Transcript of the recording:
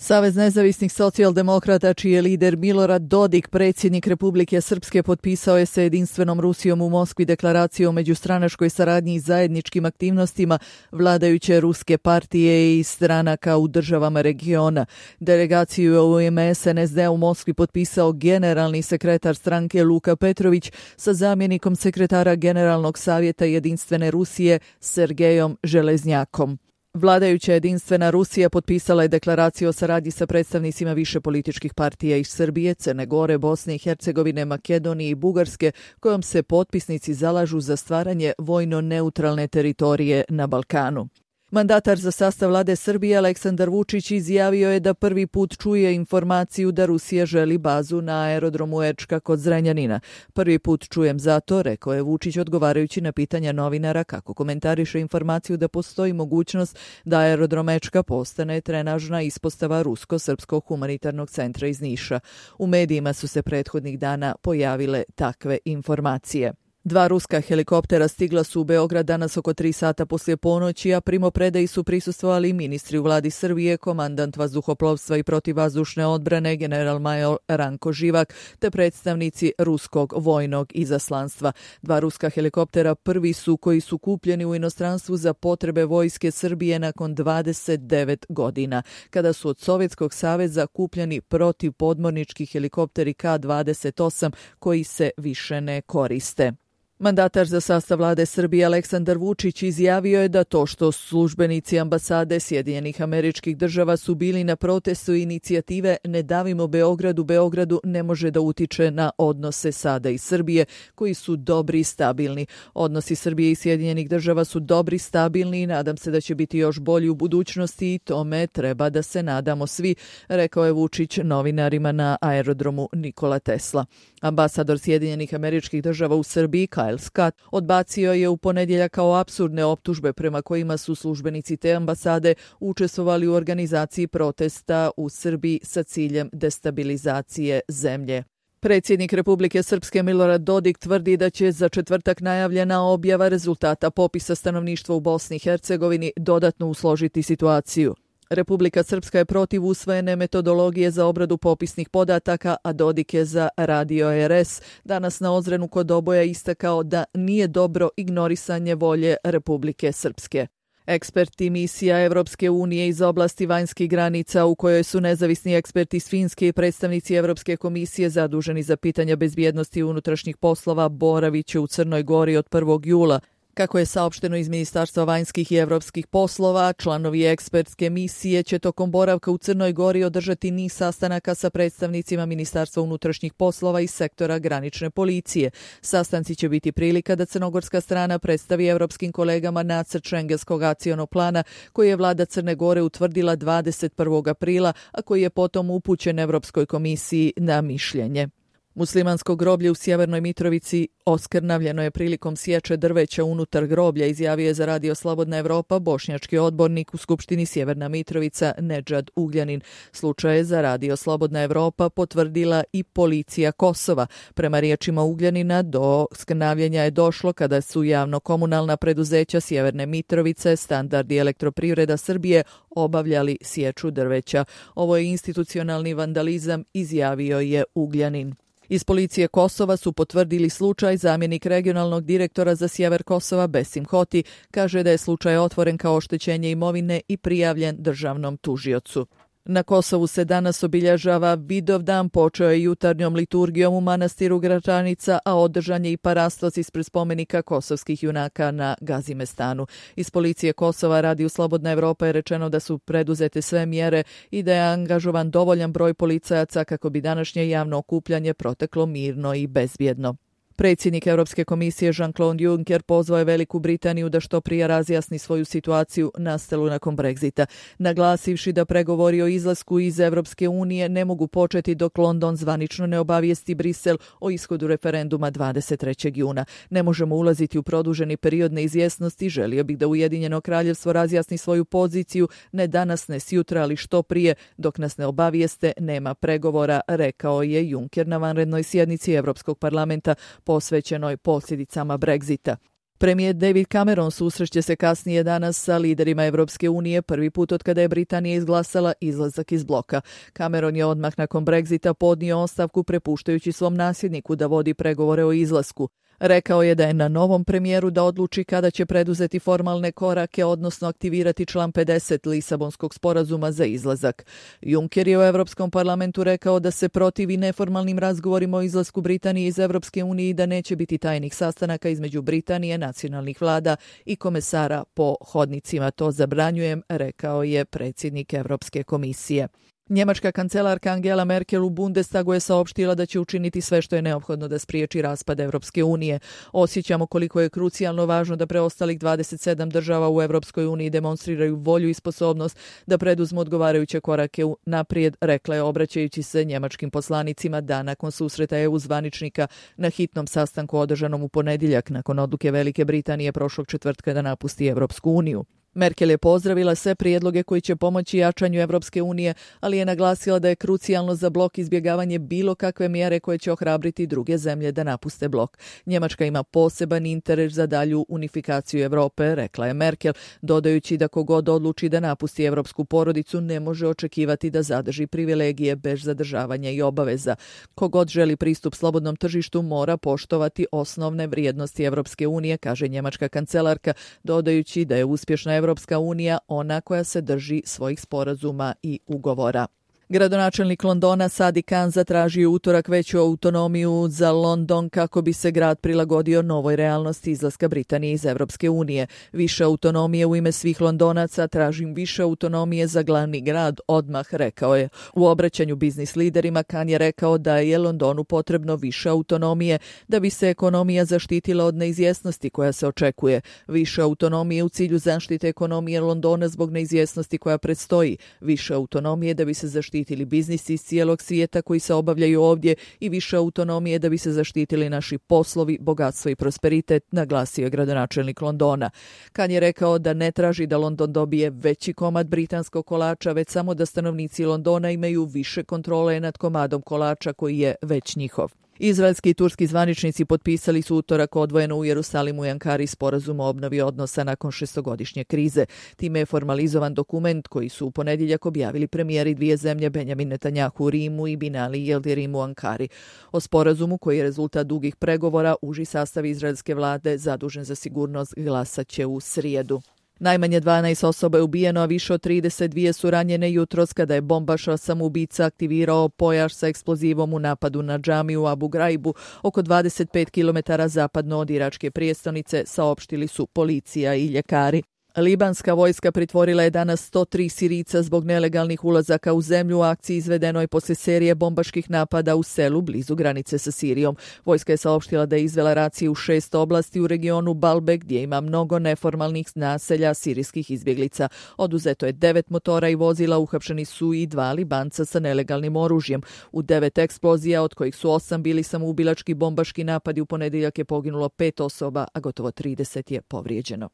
Savez nezavisnih socijaldemokrata, čiji je lider Milorad Dodik, predsjednik Republike Srpske, potpisao je sa jedinstvenom Rusijom u Moskvi deklaraciju o međustranačkoj saradnji i zajedničkim aktivnostima vladajuće ruske partije i stranaka u državama regiona. Delegaciju u ime SNSD u Moskvi potpisao generalni sekretar stranke Luka Petrović sa zamjenikom sekretara Generalnog savjeta jedinstvene Rusije Sergejom Železnjakom. Vladajuća jedinstvena Rusija potpisala je deklaraciju o saradnji sa predstavnicima više političkih partija iz Srbije, Crne Gore, Bosne i Hercegovine, Makedonije i Bugarske, kojom se potpisnici zalažu za stvaranje vojno neutralne teritorije na Balkanu. Mandatar za sastav vlade Srbije Aleksandar Vučić izjavio je da prvi put čuje informaciju da Rusija želi bazu na aerodromu Ečka kod Zrenjanina. Prvi put čujem zato, rekao je Vučić odgovarajući na pitanja novinara kako komentariše informaciju da postoji mogućnost da aerodrom Ečka postane trenažna ispostava Rusko-srpskog humanitarnog centra iz Niša. U medijima su se prethodnih dana pojavile takve informacije. 2 ruska helikoptera stigla su u Beograd danas oko 3 sata poslije ponoći, a primopredaji su prisustvovali ministri u vladi Srbije, komandant vazduhoplovstva i protivvazdušne odbrane general-major Ranko Živak, te predstavnici ruskog vojnog izaslanstva. 2 ruska helikoptera prvi su koji su kupljeni u inostranstvu za potrebe vojske Srbije nakon 29 godina, kada su od Sovjetskog saveza kupljeni protivpodmornički helikopteri K-28 koji se više ne koriste. Mandatar za sastav vlade Srbije Aleksandar Vučić izjavio je da to što službenici ambasade Sjedinjenih Američkih Država su bili na protestu inicijative Ne davimo Beogradu ne može da utiče na odnose SAD-a i Srbije, koji su dobri i stabilni. Odnosi Srbije i Sjedinjenih Država su dobri, stabilni i nadam se da će biti još bolji u budućnosti i tome treba da se nadamo svi, rekao je Vučić novinarima na aerodromu Nikola Tesla. Ambasador Sjedinjenih Američkih Država u Srbiji Kyle Scott odbacio je u ponedjeljak kao apsurdne optužbe prema kojima su službenici te ambasade učestvovali u organizaciji protesta u Srbiji sa ciljem destabilizacije zemlje. Predsjednik Republike Srpske Milorad Dodik tvrdi da će za četvrtak najavljena objava rezultata popisa stanovništva u Bosni i Hercegovini dodatno usložiti situaciju. Republika Srpska je protiv usvojene metodologije za obradu popisnih podataka, a Dodik je za Radio RS danas na Ozrenu kod Oboja istakao da nije dobro ignorisanje volje Republike Srpske. Eksperti misija Evropske unije iz oblasti vanjskih granica, u kojoj su nezavisni eksperti iz Finske i predstavnici Evropske komisije zaduženi za pitanja bezbjednosti i unutrašnjih poslova, boraviće u Crnoj Gori od 1. jula. Kako je saopšteno iz Ministarstva vanjskih i evropskih poslova, članovi ekspertske misije će tokom boravka u Crnoj Gori održati niz sastanaka sa predstavnicima Ministarstva unutrašnjih poslova i sektora granične policije. Sastanci će biti prilika da crnogorska strana predstavi evropskim kolegama nacrt šengenskog akcionog plana koji je vlada Crne Gore utvrdila 21. aprila, a koji je potom upućen Evropskoj komisiji na mišljenje. Muslimansko groblje u Sjevernoj Mitrovici oskrnavljeno je prilikom sječe drveća unutar groblja, izjavio je za Radio Slobodna Evropa bošnjački odbornik u Skupštini Sjeverna Mitrovica Nedžad Ugljanin. Slučaj je za Radio Slobodna Evropa potvrdila i policija Kosova. Prema riječima Ugljanina, do skrnavljenja je došlo kada su javno-komunalna preduzeća Sjeverne Mitrovice, Standard i Elektroprivreda Srbije obavljali sječu drveća. Ovo je institucionalni vandalizam, izjavio je Ugljanin. Iz policije Kosova su potvrdili slučaj. Zamjenik regionalnog direktora za sjever Kosova Besim Hoti kaže da je slučaj otvoren kao oštećenje imovine i prijavljen državnom tužiocu. Na Kosovu se danas obilježava Vidovdan, počeo je jutarnjom liturgijom u manastiru Gračanica, a održan je i parastos ispred spomenika kosovskih junaka na Gazimestanu. Iz policije Kosova Radio Slobodna Evropa je rečeno da su preduzete sve mjere i da je angažovan dovoljan broj policajaca kako bi današnje javno okupljanje proteklo mirno i bezbjedno. Predsjednik Europske komisije Jean-Claude Juncker pozvao je Veliku Britaniju da što prije razjasni svoju situaciju nastalu nakon Brexita, naglasivši da pregovori o izlasku iz Europske unije ne mogu početi dok London zvanično ne obavijesti Brisel o ishodu referenduma 23. juna. Ne možemo ulaziti u produženi period neizvjesnosti, želio bih da Ujedinjeno kraljevstvo razjasni svoju poziciju, ne danas, ne sjutra, ali što prije, dok nas ne obavijeste, nema pregovora, rekao je Juncker na vanrednoj sjednici Europskog parlamenta posvećenoj posljedicama Brexita. Premijer David Cameron susreće se kasnije danas sa liderima Evropske unije, prvi put od kada je Britanija izglasala izlazak iz bloka. Cameron je odmah nakon Brexita podnio ostavku prepuštajući svom nasljedniku da vodi pregovore o izlasku. Rekao je da je na novom premijeru da odluči kada će preduzeti formalne korake, odnosno aktivirati član 50 Lisabonskog sporazuma za izlazak. Juncker je u Evropskom parlamentu rekao da se protivi neformalnim razgovorima o izlasku Britanije iz Evropske unije i da neće biti tajnih sastanaka između Britanije, nacionalnih vlada i komesara po hodnicima. To zabranjujem, rekao je predsjednik Evropske komisije. Njemačka kancelarka Angela Merkel u Bundestagu je saopštila da će učiniti sve što je neophodno da spriječi raspad Evropske unije. Osjećamo koliko je krucijalno važno da preostalih 27 država u Evropskoj uniji demonstriraju volju i sposobnost da preduzmu odgovarajuće korake naprijed, rekla je obraćajući se njemačkim poslanicima dan nakon susreta EU zvaničnika na hitnom sastanku održanom u ponedjeljak nakon odluke Velike Britanije prošlog četvrtka da napusti Evropsku uniju. Merkel je pozdravila sve prijedloge koji će pomoći jačanju Evropske unije, ali je naglasila da je krucijalno za blok izbjegavanje bilo kakve mjere koje će ohrabriti druge zemlje da napuste blok. Njemačka ima poseban interes za dalju unifikaciju Europe, rekla je Merkel, dodajući da kogod odluči da napusti evropsku porodicu ne može očekivati da zadrži privilegije bez zadržavanja i obaveza. Kogod želi pristup slobodnom tržištu mora poštovati osnovne vrijednosti Evropske unije, kaže njemačka kancelarka, dodajući da je uspješna Evropska unija ona koja se drži svojih sporazuma i ugovora. Gradonačelnik Londona Sadiq Khan zatražio utorak veću autonomiju za London kako bi se grad prilagodio novoj realnosti izlaska Britanije iz Evropske unije. Više autonomije u ime svih Londonaca, tražim više autonomije za glavni grad, odmah rekao je. U obraćanju biznis liderima Khan je rekao da je Londonu potrebno više autonomije da bi se ekonomija zaštitila od neizvjesnosti koja se očekuje. Više autonomije u cilju zaštite ekonomije Londona zbog neizvjesnosti koja predstoji. Više autonomije da bi se zaštitili biznisi iz cijelog svijeta koji se obavljaju ovdje i više autonomije da bi se zaštitili naši poslovi, bogatstvo i prosperitet, naglasio je gradonačelnik Londona. Khan je rekao da ne traži da London dobije veći komad britanskog kolača, već samo da stanovnici Londona imaju više kontrole nad komadom kolača koji je već njihov. Izraelski i turski zvaničnici potpisali su utorak odvojeno u Jerusalimu i Ankari sporazum o obnovi odnosa nakon šestogodišnje krize. Time je formalizovan dokument koji su u ponedjeljak objavili premijeri dvije zemlje Benjamin Netanjahu u Rimu i Binali Yildirim u Ankari. O sporazumu koji je rezultat dugih pregovora, uži sastav izraelske vlade zadužen za sigurnost glasat će u srijedu. Najmanje 12 osoba je ubijeno, a više od 32 su ranjene jutros kada je bombaš samoubica aktivirao pojaš sa eksplozivom u napadu na džamiju u Abu Graibu, oko 25 km zapadno od iračke prijestolnice, saopštili su policija i ljekari. Libanska vojska pritvorila je danas 103 Sirijca zbog nelegalnih ulazaka u zemlju u akciji izvedenoj poslije serije bombaških napada u selu blizu granice sa Sirijom. Vojska je saopštila da je izvela racije u 6 oblasti u regionu Balbe gdje ima mnogo neformalnih naselja sirijskih izbjeglica. Oduzeto je 9 motora i vozila, uhapšeni su i 2 Libanca sa nelegalnim oružjem. U 9 eksplozija, od kojih su 8 bili samoubilački bombaški napadi, u ponedjeljak je poginulo 5 osoba, a gotovo 30 je povrijeđeno.